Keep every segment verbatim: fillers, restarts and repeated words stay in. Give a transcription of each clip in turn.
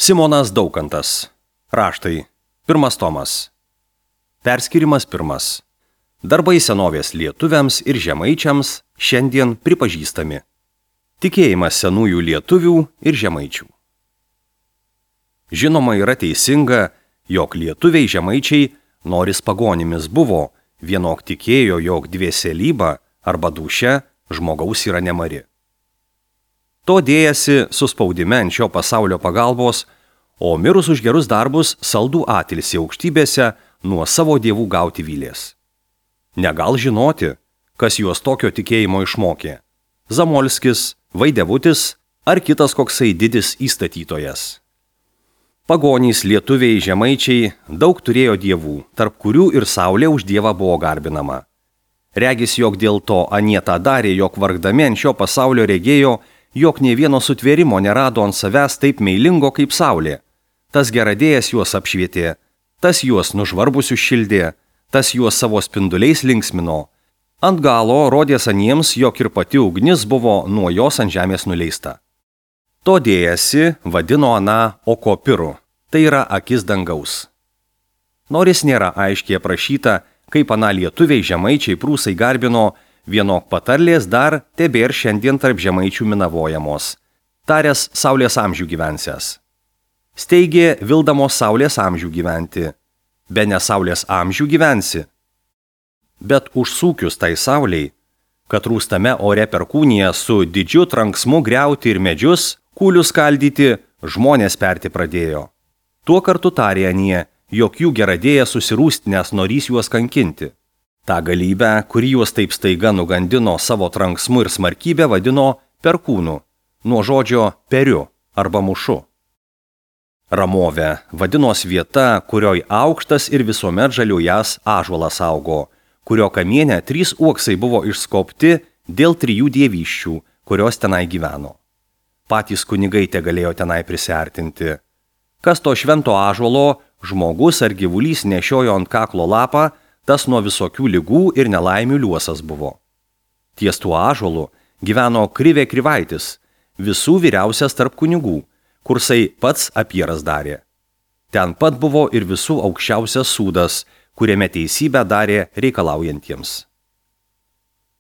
Simonas Daukantas. Raštai. Pirmas tomas. Perskirimas pirmas. Darbai senovės lietuviams ir žemaičiams šiandien pripažįstami. Tikėjimas senųjų lietuvių ir žemaičių. Žinoma, yra teisinga, jog lietuviai žemaičiai, noris pagonimis buvo, vienok tikėjo, jog dvieselybė arba dūšia žmogaus yra nemari. To dėjasi suspaudime ant šio pasaulio pagalbos, o mirus už gerus darbus saldų atilsį aukštybėse nuo savo dievų gauti vylės. Negal žinoti, kas juos tokio tikėjimo išmokė – Zamolskis, Vaidevutis ar kitas koksai didis įstatytojas. Pagonys, lietuviai, žemaičiai daug turėjo dievų, tarp kurių ir saulė už dievą buvo garbinama. Regis, jog dėl to anie tą darė, jog vargdami ant šio pasaulio regėjo, jog nė vieno sutvėrimo nerado ant savęs taip meilingo kaip saulė. Tas geradėjas juos apšvietė, tas juos nužvarbusius šildė, tas juos savo spinduliais linksmino. Ant galo rodės aniems, jog ir pati ugnis buvo nuo jos ant žemės nuleista. To dėjasi vadino aną okopiru, tai yra akis dangaus. Nors nėra aiškiai aprašyta, kaip aną lietuviai, žemaičiai, prūsai garbino, vienok patarlės dar tebėr šiandien tarp žemaičių minavojamos. Taręs saulės amžių gyvensęs. Steigė vildamos saulės amžių gyventi. Be ne saulės amžių gyvensi. Bet užsūkius tai sauliai, kad rūstame ore perkūnyje su didžiu tranksmu griauti ir medžius, kūlius skaldyti, žmonės perti pradėjo. Tuo kartu tarė anie, jog jų geradėja susirūstinęs norys juos kankinti. Ta galybę, kuri juos taip staiga nugandino savo tranksmu ir smarkybę, vadino perkūnu, nuo žodžio periu arba mušu. Ramovė vadinos vieta, kurioj aukštas ir visuomet žaliuojas ąžuolas augo, kurio kamiene trys uoksai buvo išskobti dėl trijų dievyščių, kurios tenai gyveno. Patys kunigai te galėjo tenai prisiartinti. Kas to švento ąžuolo žmogus ar gyvulys nešiojo ant kaklo lapą, tas nuo visokių ligų ir nelaimių liuosas buvo. Ties tuo ąžuolu gyveno Krivė Krivaitis, visų vyriausias tarp kunigų, kursai pats apieras darė. Ten pat buvo ir visų aukščiausias sūdas, kuriame teisybę darė reikalaujantiems.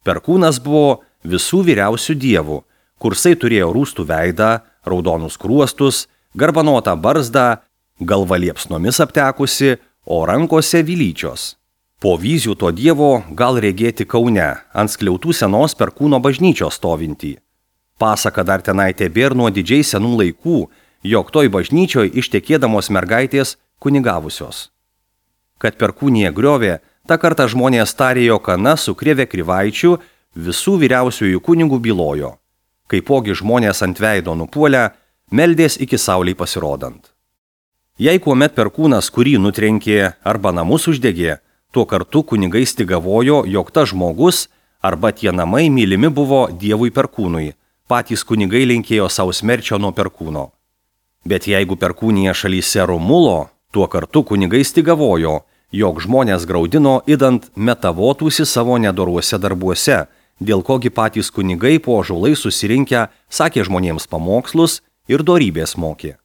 Perkūnas buvo visų vyriausių dievų, kursai turėjo rūstų veidą, raudonus kruostus, garbanotą barzdą, galva liepsnomis aptekusi, o rankose vylyčios. Po vyzių to dievo gal regėti Kaune, ant skliautų senos Perkūno bažnyčios stovintį. Pasaka dar tenai tebėr nuo didžiai senų laikų, jog toj bažnyčioj ištekėdamos mergaitės kunigavusios. Kad Perkūnija griovė, tą kartą žmonės tarė, jog ana su Krivė Krivaičiu visų vyriausiųjų kunigų bylojo. Kaipogi žmonės ant veido nupuolę, meldės iki saulei pasirodant. Jei kuomet Perkūnas kurį nutrenkė arba namus uždegė, tuo kartu kunigai stigavojo, jog tas žmogus arba tie namai mylimi buvo dievui Perkūnui, patys kunigai linkėjo savo smerčio nuo Perkūno. Bet jeigu Perkūnija šalyse rumulo, tuo kartu kunigai stigavojo, jog žmonės graudino idant metavotųsi savo nedoruose darbuose, dėl kogi patys kunigai po ąžuolai susirinkę sakė žmonėms pamokslus ir dorybės mokė.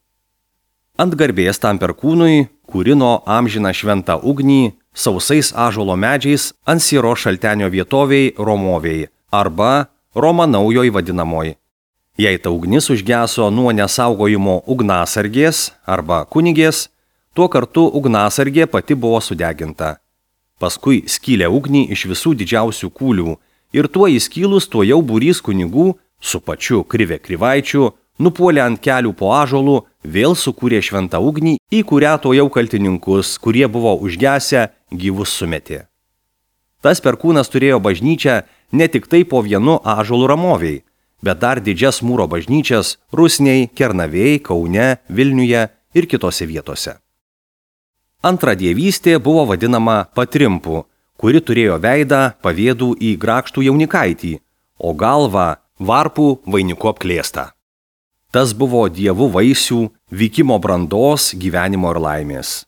Ant garbės tam Perkūnui kūrino amžiną šventą ugnį sausais ąžuolo medžiais ant Siro šaltenio vietoviai Romoviai arba Roma naujoj vadinamoj. Jei ta ugnis užgeso nuo nesaugojimo ugnasargės arba kunigės, tuo kartu ugnasargė pati buvo sudeginta. Paskui skylė ugnį iš visų didžiausių kūlių ir tuo įskylus tuo jau būrys kunigų su pačiu Krivė Krivaičiu nupuolė ant kelių po ąžuolų, vėl sukūrė šventą ugnį, į kurią to jau kaltininkus, kurie buvo užgesę, gyvus sumetė. Tas Perkūnas turėjo bažnyčią ne tik tai po vienu ąžuolų Ramoviai, bet dar didžias mūro bažnyčias Rusniai, Kernavėj, Kaune, Vilniuje ir kitose vietose. Antra dievystė buvo vadinama Patrimpu, kuri turėjo veidą pavėdų į grakštų jaunikaitį, o galvą varpų vainiku apklėstą. Tas buvo dievų vaisių, vykimo brandos, gyvenimo ir laimės.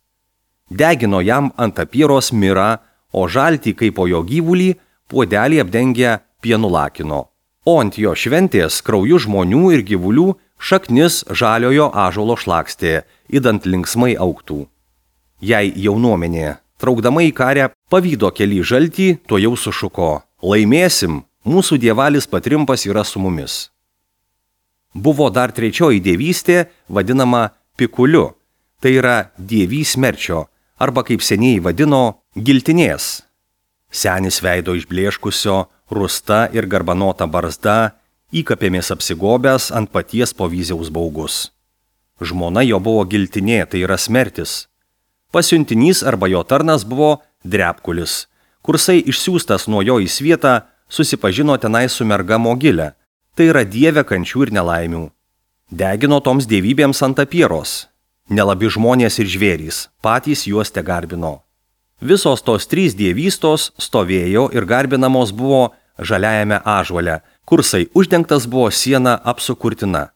Degino jam ant apieros mirą, o žaltį kaip po jo gyvulį puodelį apdengę pienu lakino, o ant jo šventės krauju žmonių ir gyvulių šaknis žaliojo ąžuolo šlakstė, idant linksmai augtų. Jei jaunuomenė, traukdama į karę, pavydo keli žaltį, to jau sušuko: laimėsim, mūsų dievalis patrimpas yra su mumis. Buvo dar trečioji dievystė, vadinama pikuliu, tai yra dievys smerčio, arba kaip seniai vadino, giltinės. Senis veido išblėškusio, rusta ir garbanota barzda, įkapėmis apsigobęs ant paties povyziaus baugus. Žmona jo buvo giltinė, tai yra smertis. Pasiuntinys arba jo tarnas buvo drepkulis. Kursai išsiųstas nuo jo į svietą, susipažino tenai su merga Mogile, tai yra dieve kančių ir nelaimių. Degino toms dievybėms ant apieros. Nelabi žmonės ir žvėrys, patys juos te garbino. Visos tos trys dievystos stovėjo ir garbinamos buvo žaliajame ąžuole, kursai uždengtas buvo siena apsukurtina.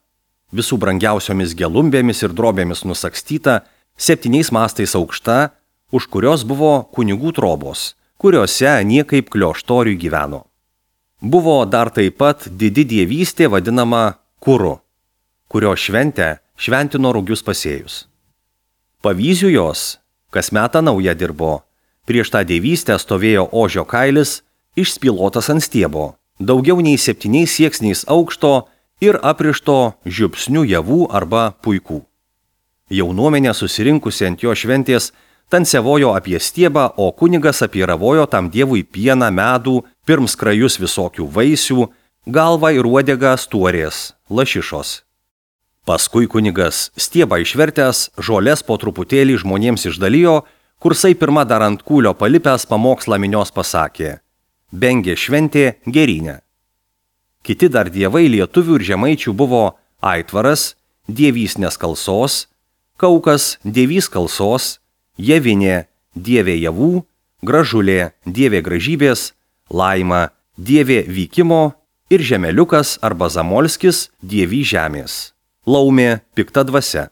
Visų brangiausiomis gelumbėmis ir drobėmis nusakstyta, septyniais mastais aukšta, už kurios buvo kunigų trobos, kuriuose niekaip klioštoriui gyveno. Buvo dar taip pat didi dievystė vadinama Kuru, kurio šventę šventino rugius pasėjus. Pavyzdžių jos kas metą nauja dirbo. Prieš tą dievystę stovėjo ožio kailis, išspilotas ant stiebo, daugiau nei septyniais sieksniais aukšto ir aprišto žiupsnių javų arba puikų. Jaunuomenė susirinkusi ant jo šventės tansevojo apie stiebą, o kunigas apiravojo tam dievui pieną, medų, pirms krajus visokių vaisių, galvą ir uodegą stuorės, lašišos. Paskui kunigas stiebą išvertęs, žolės po truputėlį žmonėms išdalijo, kursai pirma dar ant kūlio palipęs pamokslą minios pasakė: bengė šventė gerinė. Kiti dar dievai lietuvių ir žemaičių buvo Aitvaras, dievys neskalsos, Kaukas, dievys kalsos, Javinė, dievė javų, Gražulė, dievė gražybės, Laima, dievė vykimo ir Žemeliukas arba Zamolskis, dievy žemės. Laumė, pikta dvasia.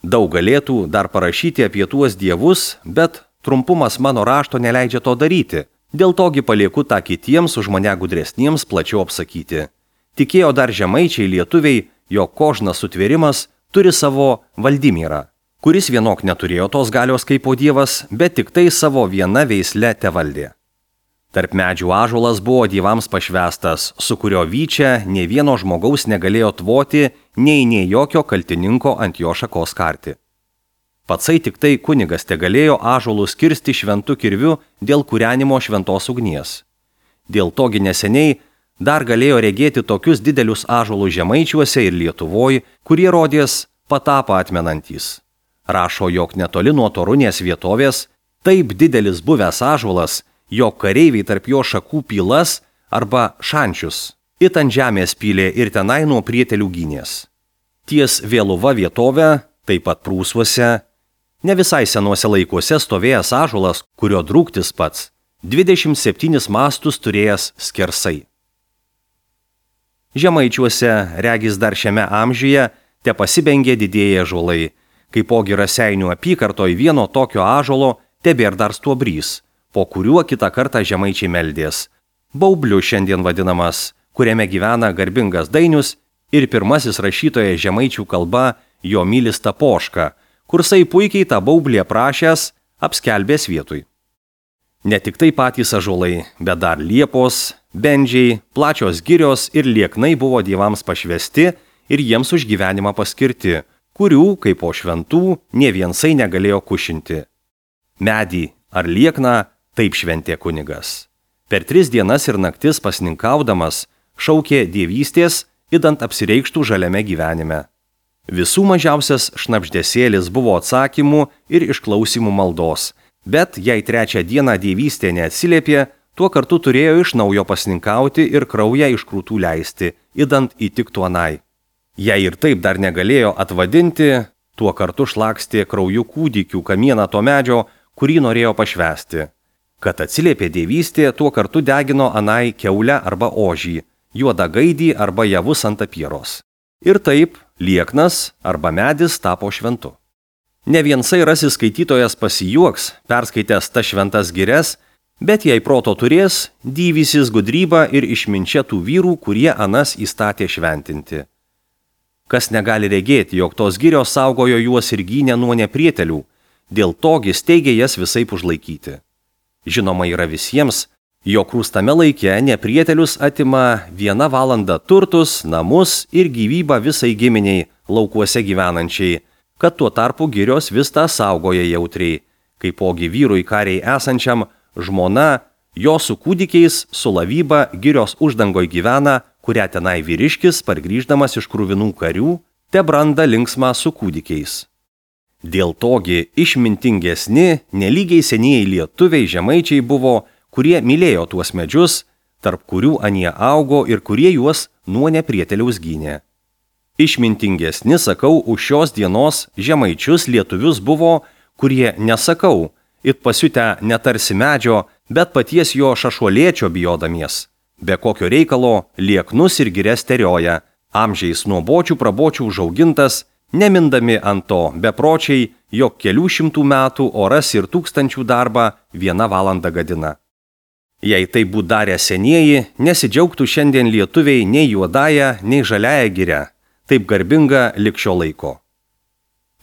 Daug galėtų dar parašyti apie tuos dievus, bet trumpumas mano rašto neleidžia to daryti. Dėl togi palieku tą kitiems už mane gudresniems plačiau apsakyti. Tikėjo dar žemaičiai lietuviai, jog kožnas sutvėrimas turi savo Valdimirą, kuris vienok neturėjo tos galios kaip po dievas, bet tik tai savo viena veisle tevaldė. Tarp medžių ąžuolas buvo dievams pašvestas, su kurio vyčia nei vieno žmogaus negalėjo tvoti, nei nei jokio kaltininko ant jo šakos karti. Patsai tik tai kunigas te galėjo ąžuolus kirsti šventu kirviu dėl kūrenimo šventos ugnies. Dėl togi neseniai dar galėjo regėti tokius didelius ąžuolus žemaičiuose ir Lietuvoj, kurie rodės patapą atmenantys. Rašo, jog netoli nuo Torunės vietovės taip didelis buvęs ąžuolas, jog kareiviai tarp jo šakų pylas arba šančius it ant žemės pylė ir tenai nuo prietelių gynės. Ties Vėluva vietovė, taip pat Prūsuose, ne visai senuose laikuose stovėjęs ąžuolas, kurio drūktis pats, dvidešimt septynis mastus turėjęs skersai. Žemaičiuose, regis dar šiame amžiuje, te pasibengė didieji ąžuolai, kaipogi Raseinių apykartoj vieno tokio ąžuolo tebėr dar stuobrys, po kuriuo kitą kartą žemaičiai meldės. Baubliu šiandien vadinamas, kuriame gyvena garbingas Dainius ir pirmasis rašytojas žemaičių kalba Jomilis Tapoška, kursai puikiai tą baublį aprašęs apskelbės vietui. Ne tik tai patys ąžuolai, bet dar liepos, bendžiai, plačios girios ir lieknai buvo dievams pašvesti ir jiems už gyvenimą paskirti, kurių, kaip po šventų, nė viensai negalėjo kušinti. Medį ar liekną taip šventė kunigas. Per tris dienas ir naktis pasninkaudamas šaukė dievystės, idant apsireikštų žaliame gyvenime. Visų mažiausias šnabždesėlis buvo atsakymų ir išklausimų maldos, bet jei trečią dieną dievystė neatsiliepė, tuo kartu turėjo iš naujo pasninkauti ir kraują iš krūtų leisti, idant įtiktų anai. Jei ir taip dar negalėjo atvadinti, tuo kartu šlakstė krauju kūdikių kamieną to medžio, kurį norėjo pašvesti. Kad atsiliepė dievystė, tuo kartu degino anai keulę arba ožį, juodą gaidį arba javus ant apieros. Ir taip lieknas arba medis tapo šventu. Ne viensai rasis skaitytojas pasijuoks, perskaitęs tas šventas girias, bet jei proto turės, dyvysis gudrybą ir išminčia tų vyrų, kurie anas įstatė šventinti. Kas negali regėti, jog tos girios saugojo juos ir gynė nuo neprietelių, dėl togi steigė jas visaip užlaikyti. Žinoma yra visiems, jog rūstame laike neprietelius atima vieną valandą turtus, namus ir gyvybą visai giminiai laukuose gyvenančiai, kad tuo tarpu girios vis tą saugoja jautriai, kaipogi vyrui kariai esančiam žmona, jo su kūdikiais, su lavyba girios uždangoj gyvena, kurią tenai vyriškis, pargrįždamas iš kruvinų karių, te branda linksmą su kūdikiais. Dėl togi išmintingesni, nelygiai senieji lietuviai žemaičiai buvo, kurie mylėjo tuos medžius, tarp kurių anie augo ir kurie juos nuo neprieteliaus gynė. Išmintingesni, sakau, už šios dienos žemaičius lietuvius buvo, kurie nesakau, it pasiutę netarsi medžio, bet paties jo šašuolėčio bijodamies. Be kokio reikalo lieknus ir girias terioja, amžiais nuo bočių prabočių užaugintas, nemindami ant to bepročiai, jog kelių šimtų metų oras ir tūkstančių darbą vieną valandą gadina. Jei tai būtų darę senieji, nesidžiaugtų šiandien lietuviai nei juodąją, nei žaliąją girę, taip garbinga lig šio laiko.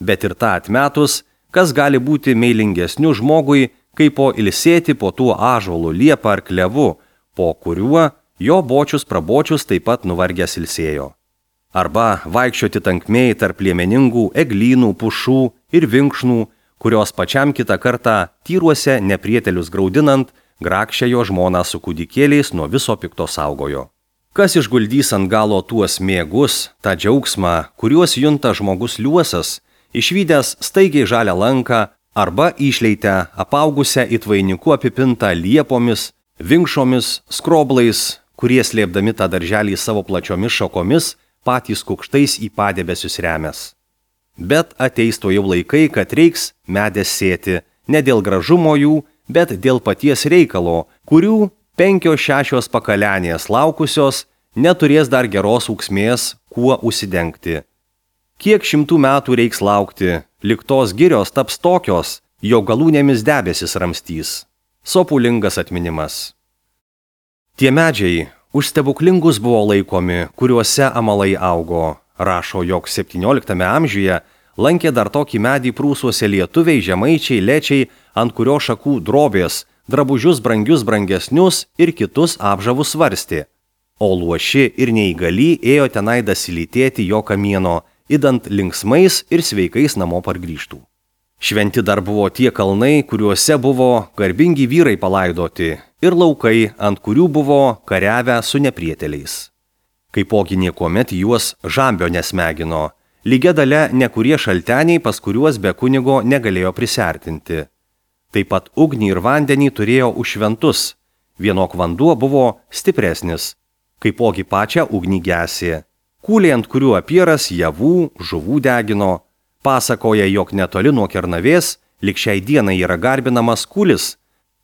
Bet ir tą atmetus, kas gali būti meilingesniu žmogui, kaip po ilsėti po tuo ąžuolu, liepa ar klevu, po kuriuo jo bočius prabočius taip pat nuvargęs ilsėjo. Arba vaikščioti tankmėj tarp liemeningų eglynų, pušų ir vinkšnų, kurios pačiam kitą kartą tyruose neprietelius graudinant, grakščia jo žmoną su kūdikėliais nuo viso pikto saugojo. Kas išguldys ant galo tuos mėgus, tą džiaugsmą, kuriuos junta žmogus liuosas, išvydęs staigiai žalią lanką arba išleitę apaugusią it vainiku apipintą liepomis, vinkšomis, skroblais, kurie slėpdami tą darželį savo plačiomis šakomis, patys kukštais į padebesius remės. Bet ateis to jau laikai, kad reiks medės sėti, ne dėl gražumo jų, bet dėl paties reikalo, kurių penkios šešios pakalenės laukusios neturės dar geros ūksmės, kuo užsidengti. Kiek šimtų metų reiks laukti, lig tos girios taps tokios, jo galūnėmis debesis ramstys. Sopulingas atminimas. Tie medžiai už stebuklingus buvo laikomi, kuriuose amalai augo. Rašo, jog septynioliktame amžiuje lankė dar tokį medį prūsuose lietuviai, žemaičiai, lečiai, ant kurio šakų drobės, drabužius brangius brangesnius ir kitus apžavus svarstė. O luoši ir neįgali ėjo tenai dasilytėti jo kamieno, idant linksmais ir sveikais namo pargrįžtų. Šventi dar buvo tie kalnai, kuriuose buvo garbingi vyrai palaidoti, ir laukai, ant kurių buvo kariavę su neprieteliais. Kaipogi niekuomet juos žambio nesmegino, lygia dalia nekurie šalteniai, pas kuriuos be kunigo negalėjo prisertinti. Taip pat ugnį ir vandenį turėjo už šventus, vienok vanduo buvo stipresnis, kaipogi pačią ugnį gesė. Kūliai, ant kurių apieras javų, žuvų degino, pasakoja, jog netoli nuo Kernavės, lig šiai dienai yra garbinamas kūlis,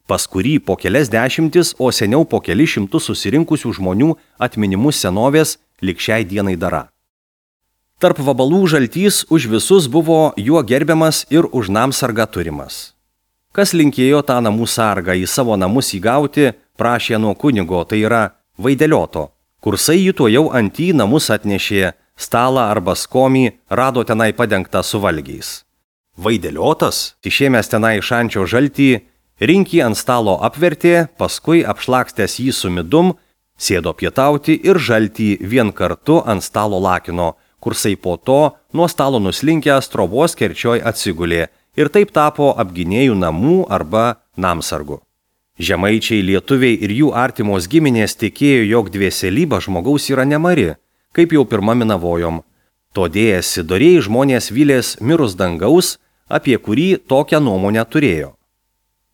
pas kurį po kelias dešimtis, o seniau po keli šimtus susirinkusių žmonių atminimus senovės lig šiai dienai dara. Tarp vabalų žaltys už visus buvo juo gerbiamas ir už namsargą turimas. Kas linkėjo tą namų sargą į savo namus įgauti, prašė nuo kunigo, tai yra vaidelioto. Kursai jį tuo jau ant į namus atnešė, stalą arba skomį rado tenai padengtą su valgiais. Vaideliotas, išėmęs tenai šančio žaltį, rinkį ant stalo apvertė, paskui apšlakstęs jį su midum, sėdo pietauti ir žaltį vien kartu ant stalo lakino, kursai po to nuo stalo nuslinkęs trobos kerčioj atsigulė ir taip tapo apgynėjų namų arba namsargu. Žemaičiai, lietuviai ir jų artimos giminės tikėjo, jog dvėselybė žmogaus yra nemari, kaip jau pirma minavojom. Todėjasi dorėjai žmonės vylės mirus dangaus, apie kurį tokią nuomonę turėjo.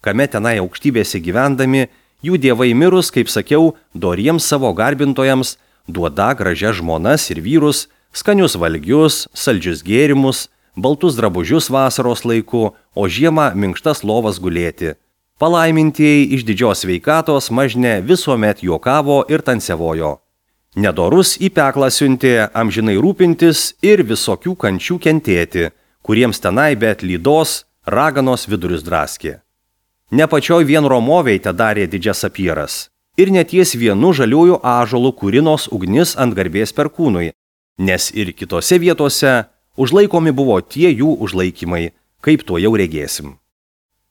Kame tenai aukštybėse gyvendami, jų dievai mirus, kaip sakiau, doriems savo garbintojams duoda gražias žmonas ir vyrus, skanius valgius, saldžius gėrimus, baltus drabužius vasaros laiku, o žiemą minkštas lovas gulėti. Palaimintieji iš didžios sveikatos mažne visuomet juokavo ir tansevojo. Nedorus į peklą siuntė amžinai rūpintis ir visokių kančių kentėti, kuriems tenai bet lydos, raganos vidurius draskė. Ne pačioj vien Romoviai te darė didžias apyras. Ir neties vienu žaliųjų ąžuolų kūrinos ugnis ant garbės perkūnui, nes ir kitose vietose užlaikomi buvo tie jų užlaikymai, kaip to jau regėsim.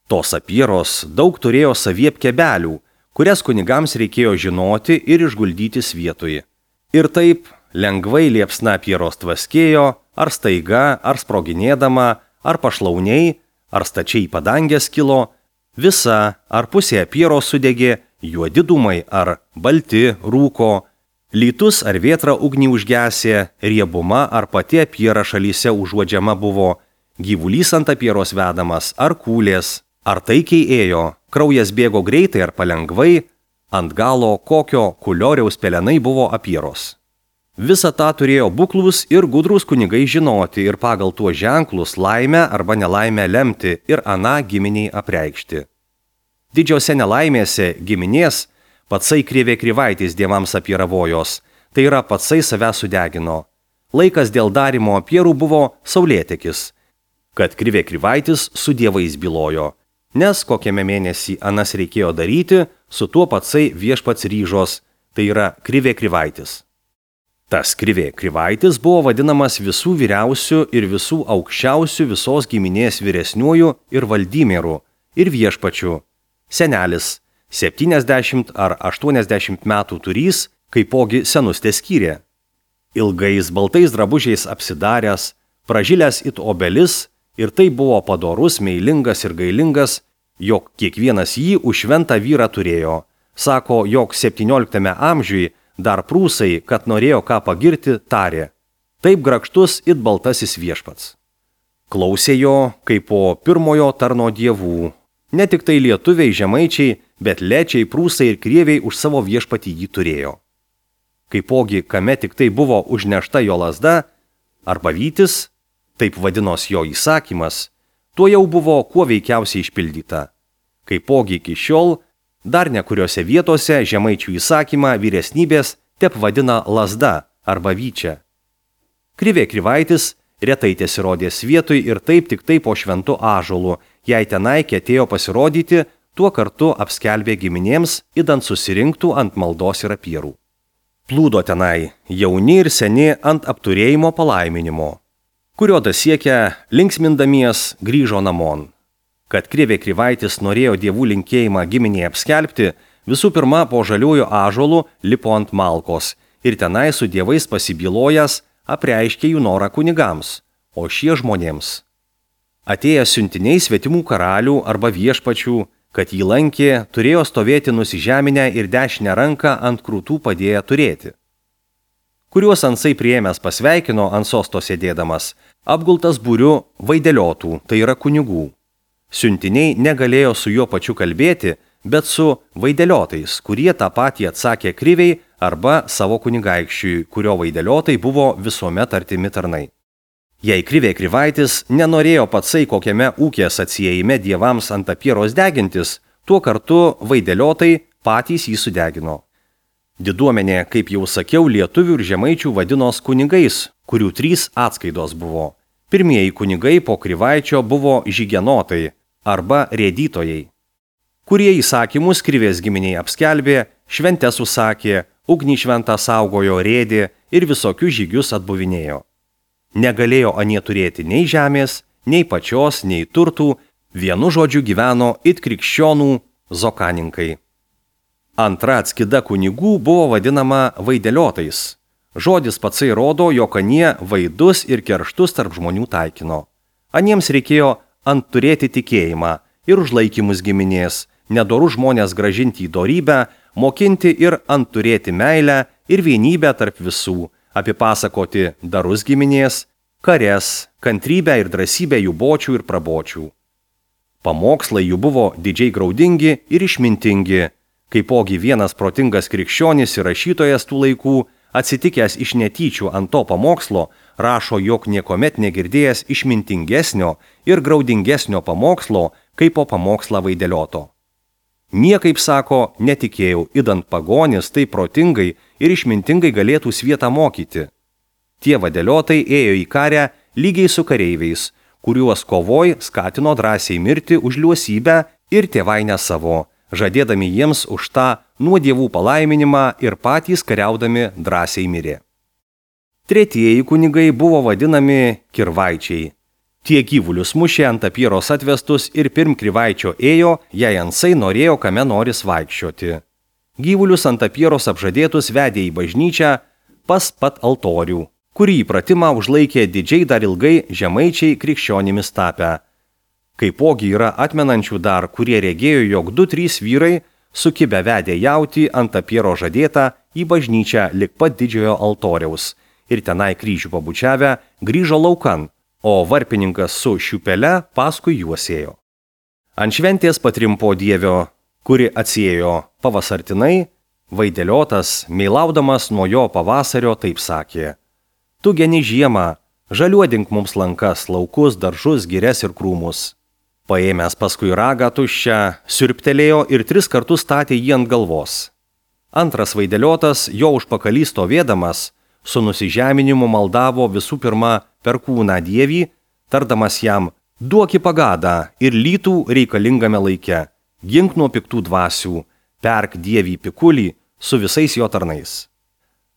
Tos apieros daug turėjo saviepkebelių, kurias kunigams reikėjo žinoti ir išguldyti vietoj. Ir taip lengvai liepsna apieros tvaskėjo, ar staiga, ar sproginėdama, ar pašlauniai, ar stačiai padangės kilo, visa ar pusė apieros sudegė, juodi dūmai ar balti rūko, lytus ar vėtra ugnį užgesė, riebuma ar pati apiera šalyse užuodžiama buvo, gyvulys ant apieros vedamas ar kūlės, ar taikiai ėjo, kraujas bėgo greitai ar palengvai, ant galo kokio kulioriaus pelenai buvo apieros. Visą tą turėjo buklus ir gudrus kunigai žinoti ir pagal tuos ženklus laimę arba nelaimę lemti ir aną giminiai apreikšti. Didžiose nelaimėse giminės patsai krivė krivaitis dievams apieravojos, tai yra patsai save sudegino. Laikas dėl darimo apierų buvo saulėtekis, kad krivė krivaitis su dievais bylojo, nes kokiame mėnesį anas reikėjo daryti, su tuo patsai viešpats ryžos, tai yra krivė krivaitis. Tas krivė krivaitis buvo vadinamas visų vyriausių ir visų aukščiausių visos giminės vyresniuoju ir valdymėru ir viešpačiu. Senelis, septyniasdešimt ar aštuoniasdešimt metų turys, kaipogi senus teskyrė. Ilgais baltais drabužiais apsidaręs, pražilęs it obelis, ir tai buvo padorus, meilingas ir gailingas, jog kiekvienas jį už šventą vyrą turėjo. Sako, jog septynioliktame amžiui dar prūsai, kad norėjo ką pagirti, tarė. Taip grakštus it baltasis viešpats. Klausė jo, kaip po pirmojo tarno dievų. Ne tik tai lietuviai žemaičiai, bet lečiai, prūsai ir krieviai už savo viešpatį jį turėjo. Kaipogi, kame tik tai buvo užnešta jo lazda, arba vytis, taip vadinos jo įsakymas, tuo jau buvo kuo veikiausiai išpildyta. Kaipogi iki šiol, dar nekuriose vietose žemaičių įsakymą vyresnybės tep vadina lazda arba vyčia. Krivė krivaitis retai tesirodės vietoj ir taip tik tai po šventu ąžuolu, jei tenai ketėjo pasirodyti, tuo kartu apskelbė giminėms, idant susirinktų ant maldos ir apierų. Plūdo tenai jauni ir seni ant apturėjimo palaiminimo, kurio dasiekę linksmindamies grįžo namon. Kad krivė krivaitis norėjo dievų linkėjimą giminėje apskelbti, visų pirma po žaliųjų ąžuolų lipo ant malkos ir tenai su dievais pasibylojęs apreiškė jų norą kunigams, o šie žmonėms. Atėjęs siuntiniai svetimų karalių arba viešpačių, kad jį lankė, turėjo stovėti nusižeminę ir dešinę ranką ant krūtų padėję turėti. Kuriuos ansai priėmęs pasveikino ant sosto sėdėdamas, apgultas būriu vaideliotų, tai yra kunigų. Siuntiniai negalėjo su juo pačiu kalbėti, bet su vaideliotais, kurie tą patį atsakė kriviai arba savo kunigaikščiui, kurio vaideliotai buvo visuomet artimi tarnai. Jei krivė krivaitis nenorėjo patsai kokiame ūkės atsiejime dievams ant apieros degintis, tuo kartu vaideliotai patys jį sudegino. Diduomenė, kaip jau sakiau, lietuvių ir žemaičių vadinos kunigais, kurių trys atskaitos buvo. Pirmieji kunigai po krivaičio buvo žygenotai arba rėdytojai, kurie įsakymus krivės giminiai apskelbė, šventes užsakė, ugnį šventą saugojo, rėdė ir visokius žygius atbuvinėjo. Negalėjo anie turėti nei žemės, nei pačios, nei turtų, vienu žodžiu gyveno it krikščionų zokaninkai. Antra atskida kunigų buvo vadinama vaideliotais. Žodis patsai rodo, jog anie vaidus ir kerštus tarp žmonių taikino. Aniems reikėjo ant turėti tikėjimą ir užlaikymus giminės, nedorų žmonės gražinti į dorybę, mokinti ir ant turėti meilę ir vienybę tarp visų, apipasakoti darus giminės, kares, kantrybę ir drąsybę jų bočių ir prabočių. Pamokslai jų buvo didžiai graudingi ir išmintingi, kaipogi vienas protingas krikščionis ir rašytojas tų laikų, atsitikęs iš netyčių ant to pamokslo, rašo, jog niekomet negirdėjęs išmintingesnio ir graudingesnio pamokslo, kaip po pamokslą vaidelioto. Niekaip, sako, netikėjau, idant pagonis taip protingai ir išmintingai galėtų svietą mokyti. Tie vadeliotai ėjo į karę lygiai su kareiviais, kuriuos kovoj skatino drąsiai mirti už liuosybę ir tėvainę savo, žadėdami jiems už tą nuo dievų palaiminimą ir patys kariaudami drąsiai mirė. Tretieji kunigai buvo vadinami kirvaičiai. Tie gyvulius mušė ant apieros atvestus ir pirm krivaičio ėjo, jei ansai norėjo kame noris vaikščioti. Gyvulius ant apieros apžadėtus vedė į bažnyčią pas pat altorių, kurį įpratimą užlaikė didžiai dar ilgai žemaičiai krikščionimis tapę. Kaipogi yra atmenančių dar, kurie regėjo, jog du trys vyrai sukibę vedė jautį ant apiero žadėtą į bažnyčią lik pat didžiojo altoriaus ir tenai kryžių pabučiavę grįžo laukan, o varpininkas su šiupele paskui juos ėjo. Ant šventės patrimpo dievio, kuri atsiėjo pavasartinai, Vaideliotas, meilaudamas nuo jo pavasario, taip sakė: Tu geni žiemą, žaliuodink mums lankas, laukus, daržus, girias ir krūmus. Paėmęs paskui ragą tuščią, siurbtelėjo ir tris kartus statė jį ant galvos. Antras Vaideliotas, jo užpakalį stovėdamas, su nusižeminimu maldavo visų pirma per kūną dievį, tardamas jam: duoki pagadą ir lytų reikalingame laike, gink nuo piktų dvasių, perk dievį pikulį su visais jo tarnais.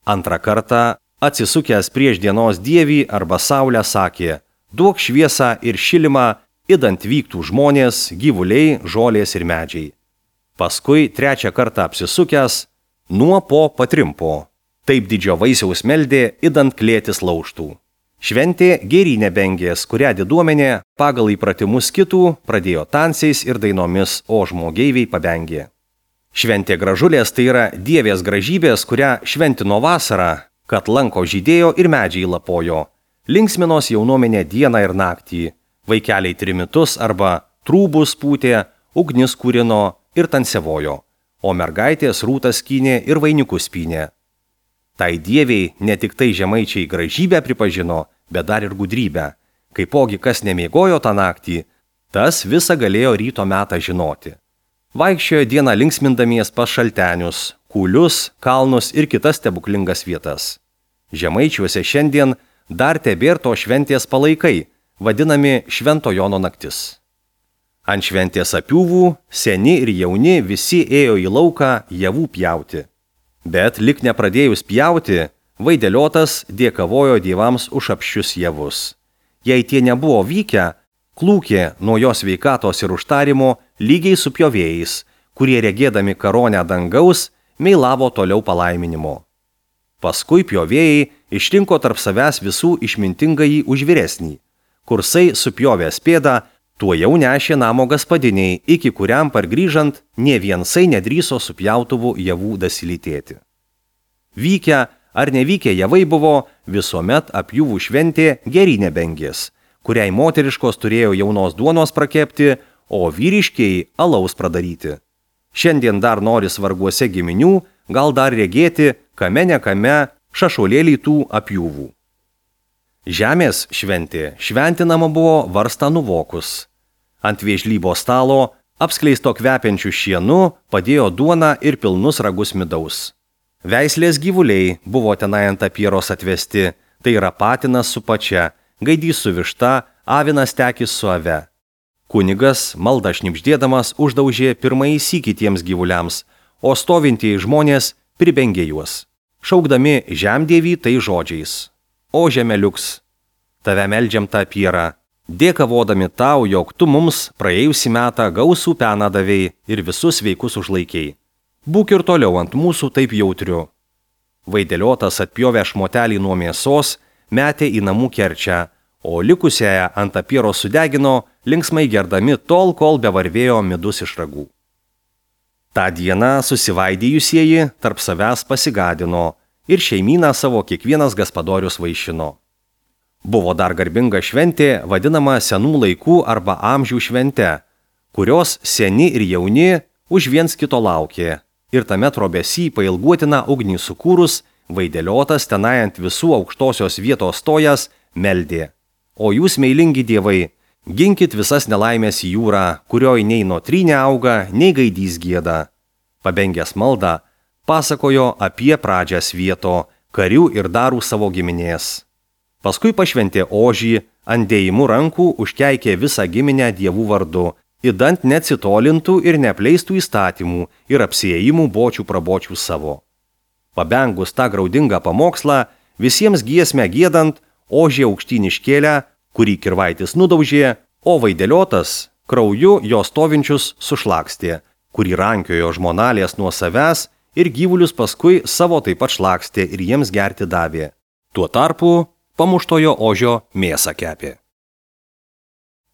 Antrą kartą, atsisukęs prieš dienos dievį arba saulę, sakė: duok šviesą ir šilimą, idant vyktų žmonės, gyvuliai, žolės ir medžiai. Paskui trečią kartą apsisukęs, nuo po patrimpo. Taip didžio vaisiaus meldė, idant klėtis laužtų. Šventė gėrynė bengės, kurią diduomenė pagal įpratimus kitų pradėjo tansiais ir dainomis, o žmogeiviai pabengė. Šventė gražulės tai yra dievės gražybės, kurią šventino vasarą, kad lanko žydėjo ir medžiai lapojo. Linksminos jaunuomenė dieną ir naktį, vaikeliai trimitus arba trūbus pūtė, ugnis kūrino ir tansevojo, o mergaitės rūtas skynė ir vainikus pynė. Tai dieviai ne tik tai žemaičiai gražybę pripažino, bet dar ir gudrybę. Kaipogi kas nemiegojo tą naktį, tas visą galėjo ryto metą žinoti. Vaikščiojo dieną linksmindamies pas šaltenius, kūlius, kalnus ir kitas stebuklingas vietas. Žemaičiuose šiandien dar tebėr to šventės palaikai, vadinami Švento Jono naktis. Ant šventės apiūvų seni ir jauni visi ėjo į lauką javų pjauti. Bet lik nepradėjus pjauti, Vaideliotas dėkavojo dievams už apščius javus. Jei tie nebuvo vykę, klūkė nuo jos sveikatos ir užtarimo lygiai su pjovėjais, kurie regėdami karonę dangaus meilavo toliau palaiminimo. Paskui pjovėjai išrinko tarp savęs visų išmintingąjį už vyresnį. Kursai supjovęs pėdą, tuo jau nešė namo gaspadiniai, iki kuriam pargrįžant nė viensai nedrįso su pjautuvų javų dasilytėti. Vykę ar nevykę javai buvo, visuomet apjūvų šventė gėrynė bengės, kuriai moteriškos turėjo jaunos duonos prakepti, o vyriškiai alaus pradaryti. Šiandien dar nori svarguose giminių, gal dar regėti, kame nekame šašolėlį tų apjūvų. Žemės šventė šventinama buvo varstą nuvokus. Ant vėžlybo stalo, apskleisto kvepiančių šienu, padėjo duoną ir pilnus ragus midaus. Veislės gyvuliai buvo tenai ant apieros atvesti, tai yra patinas su pačia, gaidys su višta, avinas tekis su ave. Kunigas, maldą šnibždėdamas, uždaužė pirmąjį sykį tiems gyvuliams, o stovintieji žmonės pribengė juos, šaukdami žemdievį tai žodžiais: O žemeliuks, tave meldžiam tą apierą, dėkavodami tau, jog tu mums praėjusį metą gausų peną davei ir visus sveikus užlaikiai. Būk ir toliau ant mūsų taip jautriu. Vaideliotas atpjovė šmotelį nuo mėsos, metė į namų kerčią, o likusiąją ant apiero sudegino, linksmai gerdami tol, kol bevarvėjo midus iš ragų. Ta diena susivaidėjusieji tarp savęs pasigadino ir šeimyną savo kiekvienas gaspadorius vaišino. Buvo dar garbinga šventė, vadinama senų laikų arba amžių švente, kurios seni ir jauni už viens kito laukė, ir tame trobesy pailguotiną ugnį sukūrus, Vaideliotas tenai ant visų aukštosios vietos stojas meldė: O jūs, meilingi dievai, ginkit visas nelaimės į jūrą, kurioj nei notrynė auga, nei gaidys gieda. Pabengęs maldą, pasakojo apie pradžią svieto, karių ir darų savo giminės. Paskui pašventė ožį, ant dėjimų rankų užkeikė visą giminę dievų vardu, idant neatsitolintų ir neapleistų įstatymų ir apsiėjimų bočių prabočių savo. Pabengus tą graudingą pamokslą, visiems giesmę giedant, ožį aukštyn iškėlę, kurį kirvaitis nudaužė, o vaideliotas krauju jo stovinčius sušlakstė, kurį rankiojo žmonalės nuo savęs ir gyvulius paskui savo taip pat šlakstė ir jiems gerti davė. Tuo tarpu pamuštojo ožio mėsą kepė.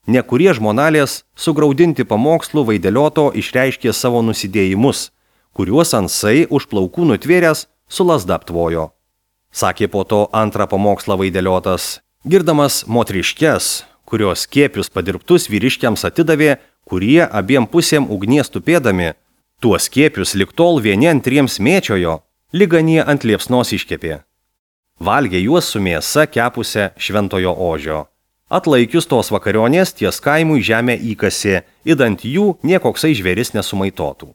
Nekurie žmonalės sugraudinti pamokslų vaidelioto išreiškė savo nusidėjimus, kuriuos ansai už plaukų nutvėręs su lazda aptvojo. Sakė po to antrą pamokslą vaideliotas, girdamas motriškes, kurios kėpius padirbtus vyriškiams atidavė, kurie abiem pusėm ugnies tupėdami, tuos kėpius lik tol vieni antriems mėčiojo, liganie ant liepsnos iškepė. Valgė juos su mėsa kepusią šventojo ožio. Atlaikius tos vakarionės ties kaimui žemę įkasė, idant jų niekoksai žvėris nesumaitotų.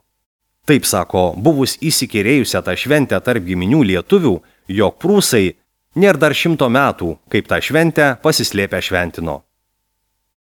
Taip sako, buvus įsikėrėjusią tą šventę tarp giminių lietuvių, jog prūsai nėr dar šimto metų, kaip tą šventę pasislėpę šventino.